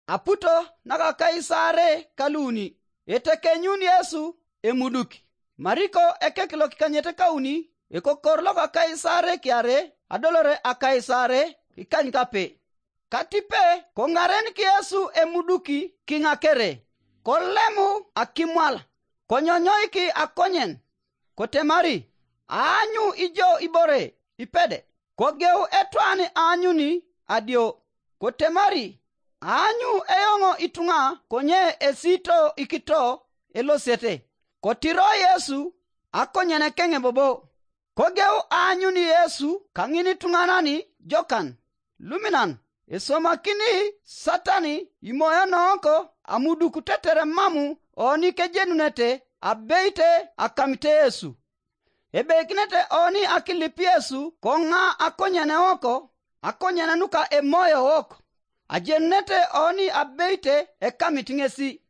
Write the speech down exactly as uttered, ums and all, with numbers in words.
Aputo naka Kaisare kaluuni. Etekenyun Yesu emuduk. Mariko ekek lokikanyete kauni, ekokor loka Kaisare kiare, adolore a Kaisare kikany kape. Katipe koŋarenik Yesu emuduki kiŋakere, kolemu akimwal, konyonyoiki akonyen, kotemari, "Aanyu ijo ibore ipede." Kogeu etwan aanyuni adio, kotemari, "Aanyu eoŋ ituŋa konye esito ikito elosiete." Kotiro Yesu akonyenekeŋ bobo. Kogeu aanyun Yesu kaŋin ituŋanan jokan luminan, esomakini Satan imoyo nooko amuduk tetere mam oni kejenunete abeite akamite Yesu. Ebeikinete oni akilip Yesu koŋa akonyen wok, akonyen nuka emoyo wok. Ajenunete oni abeite ekamit ŋesi.